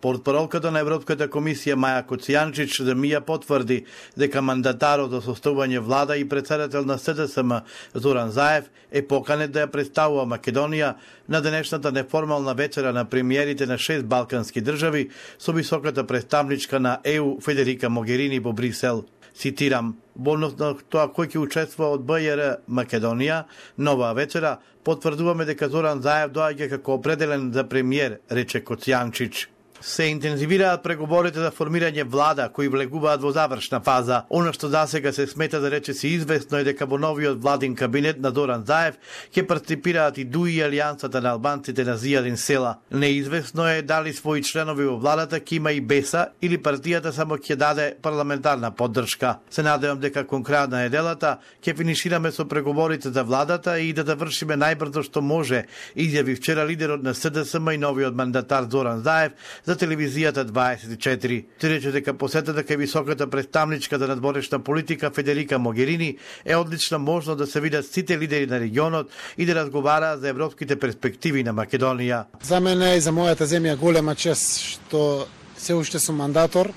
Портпаролката на Европската комисија Маја Коцијанчич Мија потврди дека мандатарот за составување влада и председател на СДСМ Зоран Заев е поканет да ја представува Македонија на денешната неформална вечера на премиерите на 6 балкански држави со високата представничка на ЕУ Федерика Могерини во Брисел. Цитирам, во однос на тоа кој ќе учествува од БЈР Македонија, нова вечера потврдуваме дека Зоран Заев доаѓа како определен за премиер, рече Коцијанчич. Се интензивираат преговорите за формирање влада кои влегуваат во завршна фаза. Оно што засега се смета да речиси известно е дека во новиот владин кабинет на Зоран Заев ќе партиципираат и ДУИ и Алијансата на албанците на Зијадин Села. Неизвестно е дали своји членови во владата ќе има и БЕСА или партијата само ќе даде парламентарна поддршка. Се надевам дека кон крајот на неделата ќе финишираме со преговорите за владата и да завршиме најбрзо што може, изјави вчера лидерот на СДСМ и новиот мандатар Зоран Заев за телевизијата 24. Тој рече дека посетата кај високата представничка за надворешна политика Федерика Могерини е одлична можност да се видат сите лидери на регионот и да разговараат за европските перспективи на Македонија. За мене и за мојата земја голема чест што се уште сум мандатор.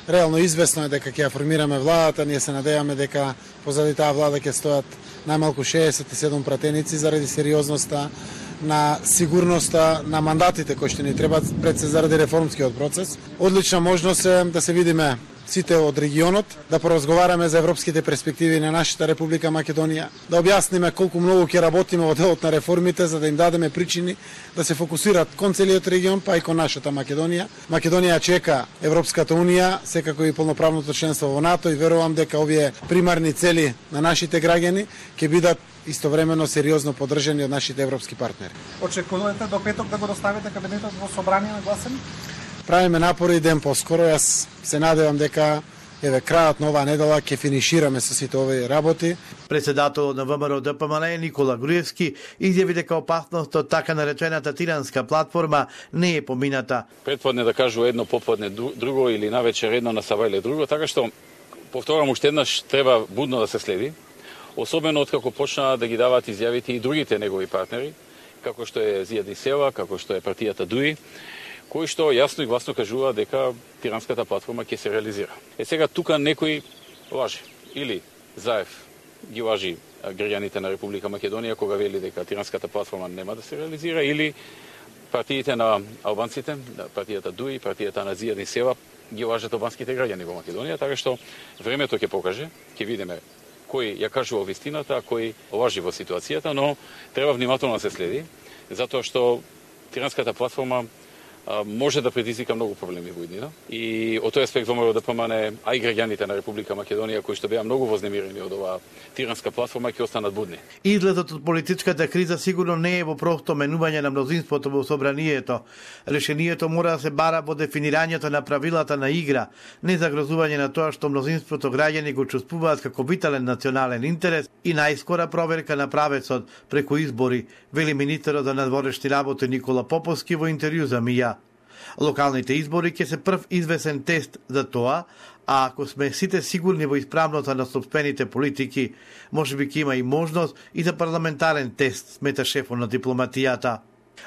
Реално известно е дека ќе ја формираме владата, ние се надеваме дека позади таа влада ќе стојат најмалку 67 пратеници заради сериозноста на сигурноста на мандатите кои што ни требаат пред се заради реформскиот процес. Одлична можност е да се видиме сите од регионот, да поразговараме за европските перспективи на нашата Република Македонија, да објасниме колку многу ќе работиме во делот на реформите за да им дадеме причини да се фокусираат кон целиот регион, па и кон нашата Македонија. Македонија чека Европската унија, секако и полноправното членство во НАТО и верувам дека овие примарни цели на нашите граѓани ќе бидат истовремено сериозно поддржани од нашите европски партнери. Очекувате до петок да го доставите кабинетот во собрание на гласен? Правиме напори ден поскоро. Јас се надевам дека крајот на оваа недела ќе финишираме со сите овие работи. Председателот на ВМРО ДПМН Никола Груевски изјави дека опасноста од така наречената тиранска платформа не е помината. Предподне да кажува едно, поподне друго или навечер едно, на сабајле друго, така што повторам уште еднаш треба будно да се следи. Особено откако почнаа да ги даваат изјавите и другите негови партнери, како што е Зијадин Села, како што е партијата ДУИ, кои што јасно и гласно кажува дека тиранската платформа ќе се реализира. Сега тука некој лаже. Или Заев ги лажи граѓаните на Република Македонија кога вели дека тиранската платформа нема да се реализира, или партиите на албанците, партијата ДУИ, партијата на Зијадин Села ги лажат албанските граѓани во Македонија, така што времето ќе покаже, ќе видиме кој ја кажува вистината, а кој лажи во ситуацијата, но треба внимателно да се следи, затоа што тиранската платформа може да предизвика многу проблеми во иднина. И од тој аспект ВМРО ДПМН, а и граѓаните на Република Македонија кои што беа многу вознемирени од оваа тиранска платформа ќе останат будни. Изгледот од политичката криза сигурно не е во просто менување на мнозинството во собранието. Решението мора да се бара во дефинирањето на правилата на игра, не загрозување на тоа што мнозинството граѓани го чувствуваат како витален национален интерес и најскора проверка на правецот преку избори, вели министерот за надворешни работи Никола Поповски во интервју за Мија. Локалните избори ќе се прв извесен тест за тоа, а ако сме сите сигурни во исправноста на сопствените политики, можеби ќе има и можност и за парламентарен тест, смета шефот на дипломатијата.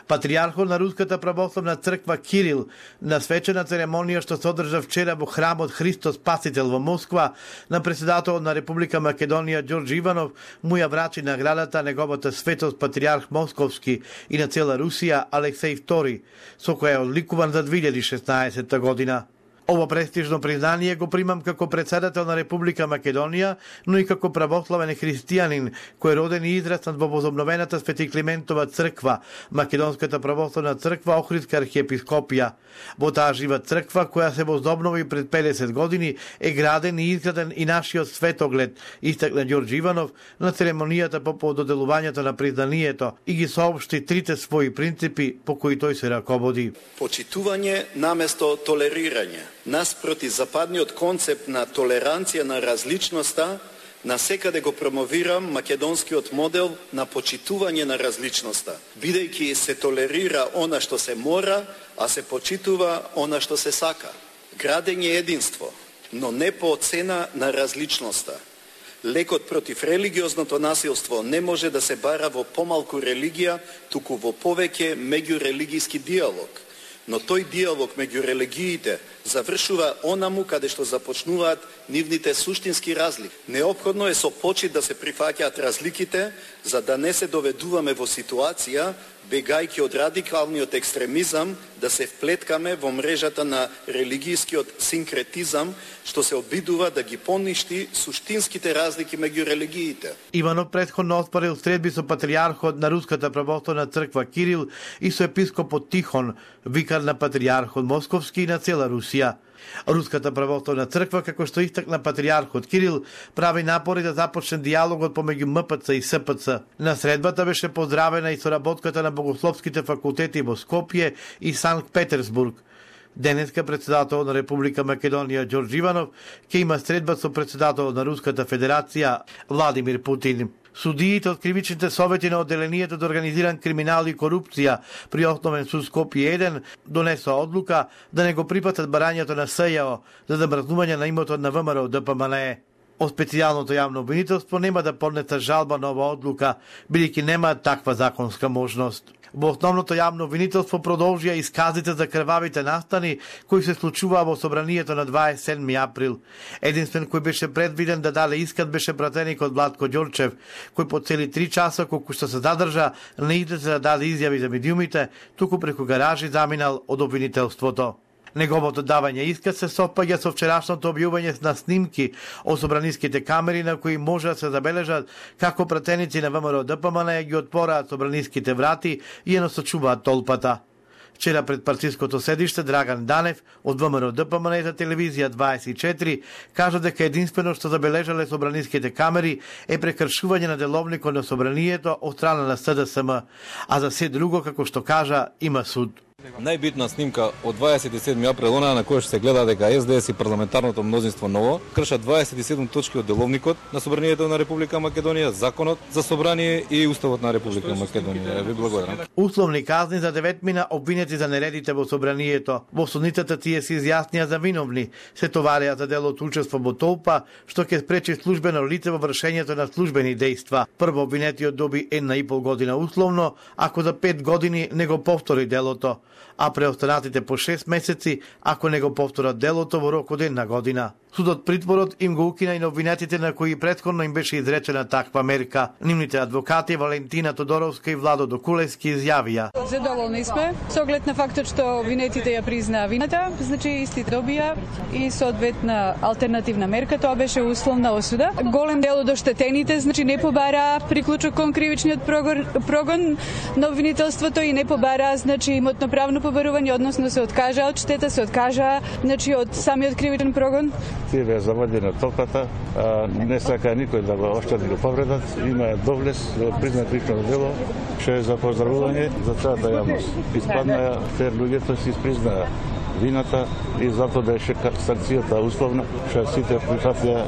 Патриархот на Руската православна црква Кирил на свечена церемонија што се одржа вчера во храмот Христос Спасител во Москва на председателот на Република Македонија Ѓорџи Иванов му ја врачи наградата неговата светост патриарх Московски и на цела Русија Алексеј II, со која е одликуван за 2016 година. Ово престижно признание го примам како председател на Република Македонија, но и како православен христијанин кој е роден и израснат во возобновената Свети Климентова црква, Македонската православна црква Охридска архиепископија. Во таа жива црква која се возобнови пред 50 години е граден и изграден и нашиот светоглед, истакна Ѓорџи Иванов на церемонијата по доделувањето на признанието и ги соопшти трите своји принципи по кои тој се раководи. Почитување наместо толерирање. Наспроти западниот концепт на толеранција на различноста, насекаде го промовирам македонскиот модел на почитување на различноста, бидејќи се толерира она што се мора, а се почитува она што се сака. Градење единство, но не по цена на различноста. Лекот против религиозното насилство не може да се бара во помалку религија, туку во повеќе меѓурелигиски диалог. Но тој диалог меѓу религиите завршува онаму каде што започнуваат нивните суштински разлики. Неопходно е со почит да се прифаќаат разликите, за да не се доведуваме во ситуација, бегајќи од радикалниот екстремизам, да се вплеткаме во мрежата на религијскиот синкретизам, што се обидува да ги поништи суштинските разлики меѓу религиите. Иванов претходно оспорил средби со патријархот на Руската православна црква Кирил и со епископот Тихон, викар на патријархот Московски и на цела Русија. Руската православна црква, како што истакна патријархот Кирил, прави напори да започне диалогот помеѓу МПЦ и СПЦ. На средбата беше поздравена и соработката на богословските факултети во Скопје и Санкт Петерсбург. Денеска председател на Република Македонија Ѓорѓ Иванов ќе има средба со председател на Руската Федерација Владимир Путин. Судиите од кривичните совети на одделението за организиран криминал и корупција при Основен суд Скопје 1 донесоа одлука да не го припатат барањето на СЈО за замрзнување на имотот на ВМРО ДПМНЕ. Од специјалното јавно обвинителство нема да поднесат жалба на ова одлука, бидејќи нема таква законска можност. Во основното јавно обвинителство продолжија исказите за крвавите настани кои се случуваа во собранието на 27 април. Единствен кој беше предвиден да даде искат беше пратеникот Владко Ѓорчев, кој по цели 3 часа колку што се задржа не излезе да даде изјави за медиумите, туку преку гаражи заминал од обвинителството. Неговото давање искат се совпаѓа со вчерашното објавување на снимки од собраниските камери на кои може да се забележат како пратеници на ВМРО ДПМНЕ ги отпораат собраниските врати и ја насочуваат толпата. Вчера пред партиското седиште Драган Данев од ВМРО ДПМНЕ за телевизија 24 кажа дека единствено што забележале собраниските камери е прекршување на деловникот на собранието од страна на СДСМ, а за се друго, како што кажа, има суд. Најбитна снимка од 27 април, она на која што се гледа дека СДС и парламентарното мнозинство ново кршат 27 точки од деловникот на собранието на Република Македонија, законот за собрание и уставот на Република Македонија. Ви благодарам. Условни казни за 9 мина обвинети за нередите во собранието. Во судницата тие се изјаснија за виновни. Се товарија за делот учество во толпа, што ќе спречи службено лице во вршењето на службени дејства. Прво обвинетиот доби 1,5 година условно, ако за 5 години не го повтори делото, а преостанатите по 6 месеци ако не го повторат делото во рок од 1 година. Судот притворот им го укина и на обвинетите на кои претходно им беше изречена таква мерка. Нивните адвокати Валентина Тодоровска и Владо Докулевски изјавија: Задоволни сме со оглед на фактот што обвинетите ја признаа вината, значи исти добија и соодветна алтернативна мерка, тоа беше условна осуда. Голем дел од оштетените значи не побара приклучок кон кривичниот прогон на обвинителството и не побара значи имотно правно побарување, односно се откажа од штета, се откажа значи од самиот кривичен прогон. Тие беа заводени на толпата, не сака никој да го оштети го повредат, има доблес, признат лично дело, што е за поздравување за целата јавност. Испаднаа фер луѓето си испризнаа вината и затоа беше санкцијата условна, што сите прифатија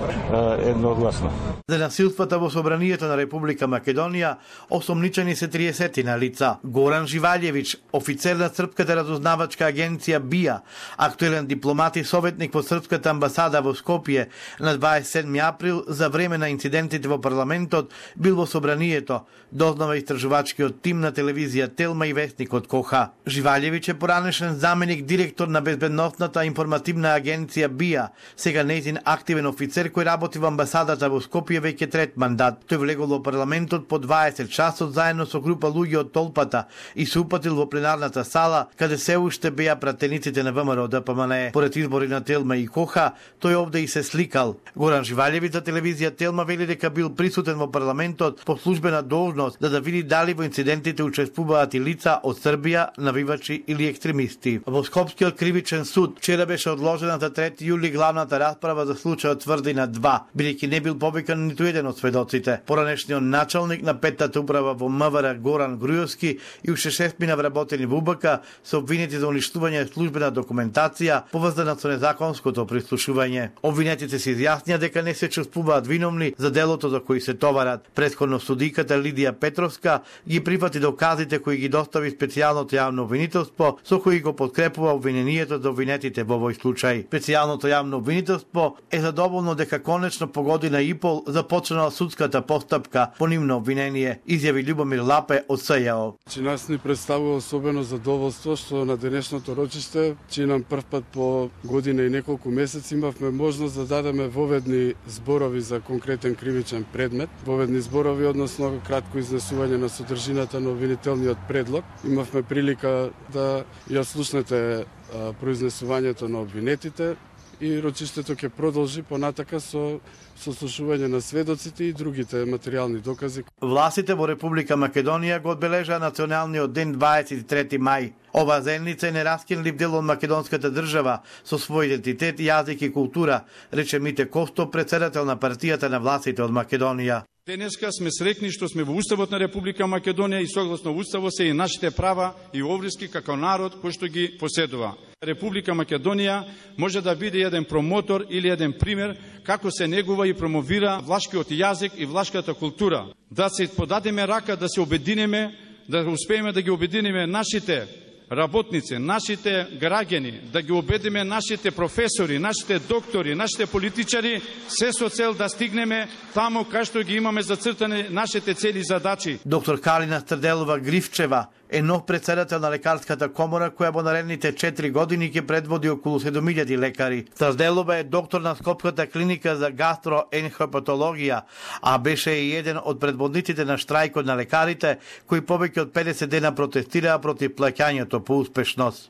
едногласно. За насилствата во собранието на Република Македонија осомничени се 30 на лица. Горан Живаљевиќ, офицер на Српската разузнавачка агенција БИА, актуелен дипломат и советник во Српската амбасада во Скопје, на 27 април за време на инцидентите во парламентот бил во собранието, дознава истражувачкиот тим на телевизија Телма и вестникот Коха. Живаљевиќ е поранешен заменик директор на безбедносната информативна агенција БИА, сега нејзин активен офицер кој работи во амбасадата во Скопје веќе трет мандат. Тој влегол во парламентот по 20 часот заедно со група луѓе од толпата и се упатил во пленарната сала, каде се уште беа пратениците на ВМРО ДПМНЕ. Поред избори на Телма и Коха, тој овде и се сликал. Горан Живаљевиќ за телевизија Телма вели дека бил присутен во парламентот по службена должност да види дали во инцидентите учествуваат и лица од Србија, навивачи или екстремисти. Во Скопскиот кривичен суд вчера беше одложена за 3 јули главната расправа за случајот Тврдина 2, бидејќи не бил повикан ниту еден од сведоците. Поранешниот началник на петтата управа во МВР Горан Грујовски и уште 6 мина вработени во УБК се обвинети за уништување службена документација поврзана со незаконското прислушување. Обвинетите се изјаснија дека не се чувствуваат виновни за делото за кои се товарат. Претходно судиката Лидија Петровска ги прифати доказите кои ги достави специјалното јавно обвинителство со кои го подкрепува обвиненијето обвинението за обвинетите во овој случај. Специјалното јавно обвинителство е задоволно дека конечно по година и пол започнала судската постапка по нивно обвинение, изјави Љубомир Лапе од СЈО. Нас ни представува особено задоволство што на денешното рочиште, нам прв пат по година и неколку месеци имавме можност да дадеме воведни зборови за конкретен кривичен предмет, воведни зборови, односно кратко изнесување на содржината на обвинителниот предлог. Имавме прилика да ја слушнете произнесувањето на обвинетите и рочиштето ќе продолжи понатака со сослушување на сведоците и другите материјални докази. Властите во Република Македонија го одбележаа националниот ден 23 мај. Ова зенница е нераскинлив дел од македонската држава со свој идентитет, јазик и култура, рече Мите Косто, претседател на партијата на властите од Македонија. Денеска сме среќни што сме во Уставот на Република Македонија и согласно Уставот се и нашите права и обврски како народ кој што ги поседува. Република Македонија може да биде еден промотор или еден пример како се негува и промовира влашкиот јазик и влашката култура. Да се подадеме рака, да се обединеме, да успееме да ги обединиме нашите работници, нашите граѓани, да ги убедиме нашите професори, нашите доктори, нашите политичари, се со цел да стигнеме таму кај што ги имаме зацртани нашите цели и задачи. Доктор Калина Стрделова Гривчева е нов председател на лекарската комора која во наредните 4 години ќе предводи околу 7000 лекари. Стрделова е доктор на Скопската клиника за гастроенхепатологија, а беше и еден од предводниците на штрајкот на лекарите кои повеќе од 50 дена протестираа против плаќањето по успешност.